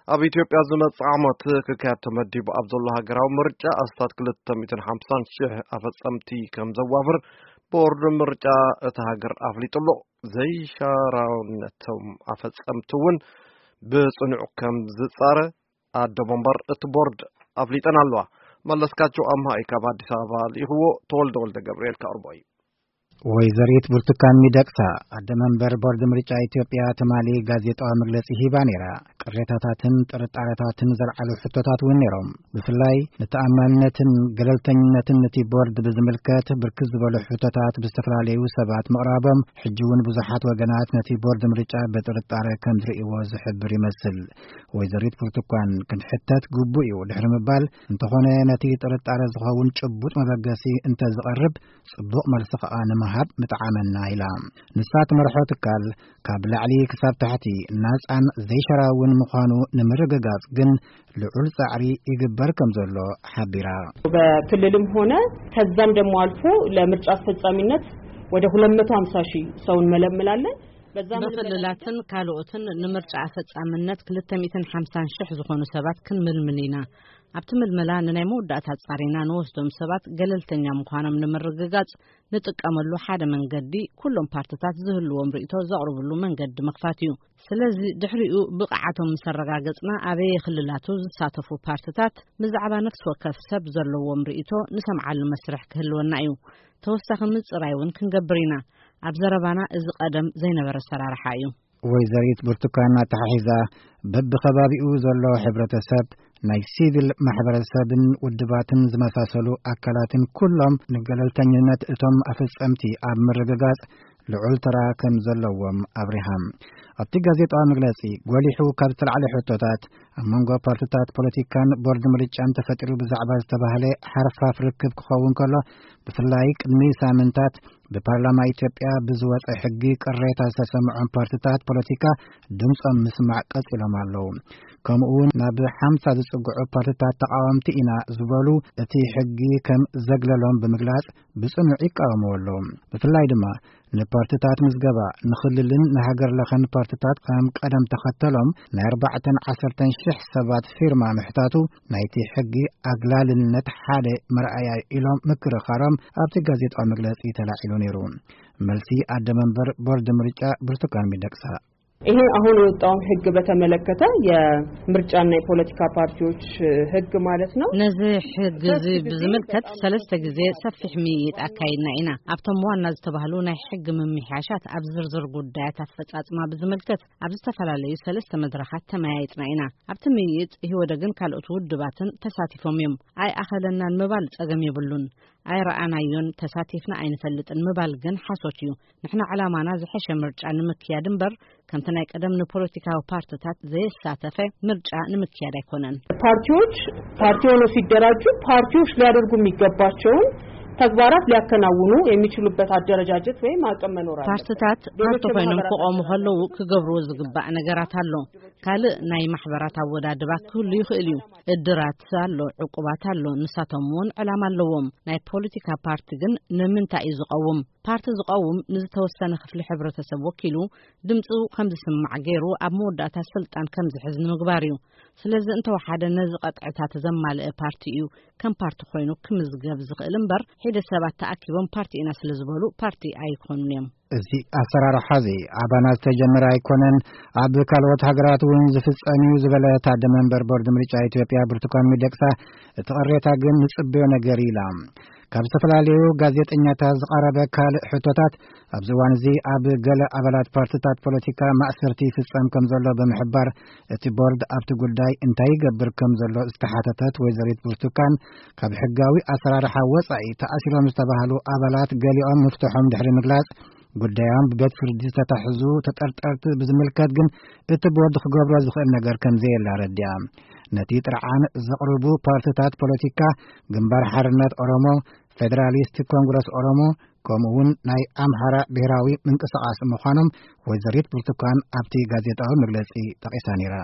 ኣብ ኢትዮጵያ ዝመጽእ ዓመት ክካየድ ተመዲቡ ኣብ ዘሎ ሃገራዊ ምርጫ ኣስታት ክልተ ሚእትን ሓምሳን ሽሕ ኣፈጸምቲ ከም ዘዋፍር ቦርድ ምርጫ እታ ሃገር ኣፍሊጡ ኣሎ። ዘይሻራውነቶም ኣፈጸምቲ እውን ብጽኑዕ ከም ዝጻረ ኣደ መንበር እቲ ቦርድ ኣፍሊጠን ኣለዋ። መለስካቸው ኣምሃ እዩ ካብ ኣዲስ ኣበባ ልኢኽዎ። ተወልደ ወልደ ገብርኤል ከቕርቦ እዩ። ወይዘሪት ብርቱካን ሚደቅሳ፣ ኣደ መንበር ቦርድ ምርጫ ኢትዮጵያ፣ ትማሊ ጋዜጣዊ መግለጺ ሂባ ነይራ። ቅሬታታትን ጥርጣረታትን ዘልዓሉ ሕቶታት እውን ነይሮም። ብፍላይ ንተኣማንነትን ገለልተኝነትን እቲ ቦርድ ብዝምልከት ብርክት ዝበሉ ሕቶታት ብዝተፈላለዩ ሰባት ምቕራቦም፣ ሕጂ እውን ብዙሓት ወገናት ነቲ ቦርድ ምርጫ ብጥርጣረ ከም ዝርእይዎ ዝሕብር ይመስል። ወይዘሪት ብርቱካን፣ ክንሕተት ግቡእ እዩ ድሕሪ ምባል፣ እንተኾነ ነቲ ጥርጣረ ዝኸውን ጭቡጥ መበገሲ እንተዝቐርብ፣ ጽቡቕ መልሲ ከኣ ንምሃብ ምጠዓመና ኢላ። ንሳ ትመርሖ ትካል ካብ ላዕሊ ክሳብ ታሕቲ ናጻን ዘይሸራውን ምዃኑ ንምርግጋጽ ግን ልዑል ጻዕሪ ይግበር ከም ዘሎ ሓቢራ። በክልልም ሆነ ከዛም ደግሞ አልፎ ለምርጫ አስፈጻሚነት ወደ ሁለት መቶ ሃምሳ ሺህ ሰው እንመለምላለን። በዛ ምልመላ በክልላትን ካልኦትን ንምርጫ ኣፈጻምነት ክልተ ሚእትን ሓምሳን ሽሕ ዝኾኑ ሰባት ክንምልምል ኢና። ኣብቲ ምልመላ ንናይ መወዳእታ ጻሪና ንወስዶም ሰባት ገለልተኛ ምዃኖም ንምርግጋጽ ንጥቀመሉ ሓደ መንገዲ፣ ኩሎም ፓርትታት ዝህልዎም ርእይቶ ዘቕርብሉ መንገዲ ምኽፋት እዩ። ስለዚ ድሕሪኡ ብቕዓቶም ምስ ኣረጋገጽና፣ ኣበየ ክልላቱ ዝሳተፉ ፓርትታት ብዛዕባ ነፍሲ ወከፍ ሰብ ዘለዎም ርእይቶ ንሰምዓሉ መስርሕ ክህልወና እዩ። ተወሳኺ ምጽራይ እውን ክንገብር ኢና። ኣብ ዘረባና እዚ ቀደም ዘይነበረ ኣሰራርሓ እዩ። ወይዘሪት ብርቱካን ኣተሓሒዛ፣ በብኸባቢኡ ዘሎ ሕብረተሰብ፣ ናይ ሲቪል ማሕበረሰብን ውድባትን ዝመሳሰሉ ኣካላትን ኩሎም ንገለልተኝነት እቶም ኣፈጸምቲ ኣብ ምርግጋጽ ልዑል ተራ ከም ዘለዎም ኣብሪሃ። ኣብቲ ጋዜጣዊ መግለጺ ጎሊሑ ካብ ዝተላዕለ ሕቶታት፣ ኣብ መንጎ ፓርትታት ፖለቲካን ቦርድ ምርጫን ተፈጢሩ ብዛዕባ ዝተባህለ ሓርፋፍ ርክብ ክኸውን ከሎ፣ ብፍላይ ቅድሚ ሳምንታት ብፓርላማ ኢትዮጵያ ብዝወጸ ሕጊ ቅሬታ ዝተሰምዖም ፓርትታት ፖለቲካ ድምጾም ምስማዕ ቀጺሎም ኣለዉ። ከምኡ እውን ናብ ሓምሳ ዝጽግዑ ፓርትታት ተቃወምቲ ኢና ዝበሉ እቲ ሕጊ ከም ዘግለሎም ብምግላጽ ብጽኑዕ ይቃወምዎ ኣለዉ። ብፍላይ ድማ ንፓርትታት ምዝገባ ንክልልን ንሃገር ለኸን ፓርትታት ከም ቀደም ተኸተሎም ናይ ኣርባዕተን ዓሰርተን ሽሕ ሰባት ፊርማ ምሕታቱ ናይቲ ሕጊ ኣግላልነት ሓደ መርኣያ ኢሎም ምክርኻሮም ኣብቲ ጋዜጣዊ መግለጺ ተላዒሉ ነይሩ። መልሲ ኣደ መንበር ቦርድ ምርጫ ብርቱካን ሚደቅሳ። ይሄ አሁን የወጣውን ህግ በተመለከተ፣ የምርጫና የፖለቲካ ፓርቲዎች ህግ ማለት ነው። ነዚ ሕጊ እዚ ብዝምልከት ሰለስተ ግዜ ሰፊሕ ምይይጥ ኣካይድና ኢና። ኣብቶም ዋና ዝተባህሉ ናይ ሕጊ ምምሕያሻት ኣብ ዝርዝር ጉዳያት ኣፈጻጽማ ብዝምልከት ኣብ ዝተፈላለዩ ሰለስተ መድረኻት ተመያይጥና ኢና። ኣብቲ ምይይጥ ኢህወደግን ካልኦት ውድባትን ተሳቲፎም እዮም። ኣይኣኸለናን ምባል ጸገም የብሉን። ኣይረኣናዮን፣ ተሳቲፍና ኣይንፈልጥን ምባል ግን ሓሶት እዩ። ንሕና ዕላማና ዝሐሸ ምርጫ ንምክያድ እምበር፣ ከምቲ ናይ ቀደም ንፖለቲካዊ ፓርትታት ዘየሳተፈ ምርጫ ንምክያድ ኣይኮነን። ፓርቲዎች ፓርቲ ሆነው ሲደራጁ ፓርቲዎች ሊያደርጉ የሚገባቸውን ተግባራት ሊያከናውኑ የሚችሉበት አደረጃጀት ወይም አቅም መኖር አለበት። ፓርትታት ሌሎች ፓርቲ ኮይኖም የማህበራት ክቆሙ ከለዉ ክገብርዎ ዝግባእ ነገራት ኣሎ። ካልእ ናይ ማሕበራት ኣወዳድባ ክህሉ ይኽእል እዩ። እድራት ኣሎ፣ ዕቁባት ኣሎ፣ ንሳቶም እውን ዕላማ ኣለዎም። ናይ ፖለቲካ ፓርቲ ግን ንምንታይ እዩ ዝቐውም? ፓርቲ ዝቐውም ንዝተወሰነ ክፍሊ ሕብረተሰብ ወኪሉ ድምፁ ከም ዝስማዕ ገይሩ ኣብ መወዳእታ ስልጣን ከም ዝሕዝ ንምግባር እዩ። ስለዚ እንተወሓደ ነዚ ቀጥዕታት ዘማልአ ፓርቲ እዩ ከም ፓርቲ ኮይኑ ክምዝገብ ዝኽእል እምበር፣ ሒደት ሰባት ተኣኪቦም ፓርቲ ኢና ስለ ዝበሉ ፓርቲ ኣይኮኑን እዮም። እዚ ኣሰራርሓ እዚ ኣባና ዝተጀመረ ኣይኮነን፣ ኣብ ካልኦት ሃገራት እውን ዝፍጸም እዩ ዝበለ ኣደ መንበር ቦርድ ምርጫ ኢትዮጵያ ብርቱካን ሚደቅሳ፣ እቲ ቅሬታ ግን ንጽበዮ ነገር ኢላ። ካብ ዝተፈላለዩ ጋዜጠኛታት ዝቐረበ ካልእ ሕቶታት፣ ኣብዚ እዋን እዚ ኣብ ገለ ኣባላት ፓርትታት ፖለቲካ ማእሰርቲ ይፍጸም ከም ዘሎ ብምሕባር፣ እቲ ቦርድ ኣብቲ ጉዳይ እንታይ ይገብር ከም ዘሎ ዝተሓተተት ወይዘሪት ብርቱካን፣ ካብ ሕጋዊ ኣሰራርሓ ወጻኢ ተኣሲሮም ዝተባህሉ ኣባላት ገሊኦም ምፍትሖም ድሕሪ ምግላጽ፣ ጉዳዮም ብቤት ፍርዲ ዝተታሕዙ ተጠርጠርቲ ብዝምልከት ግን እቲ ቦርድ ክገብሮ ዝኽእል ነገር ከም ዘየለ ኣረዲኣ። ነቲ ጥርዓን ዘቕርቡ ፓርትታት ፖለቲካ ግንባር ሓርነት ኦሮሞ፣ ፌደራሊስት ኮንግረስ ኦሮሞ፣ ከምኡ እውን ናይ ኣምሓራ ብሔራዊ ምንቅስቓስ ምዃኖም ወይዘሪት ብርቱካን ኣብቲ ጋዜጣዊ መግለጺ ጠቒሳ ነይራ።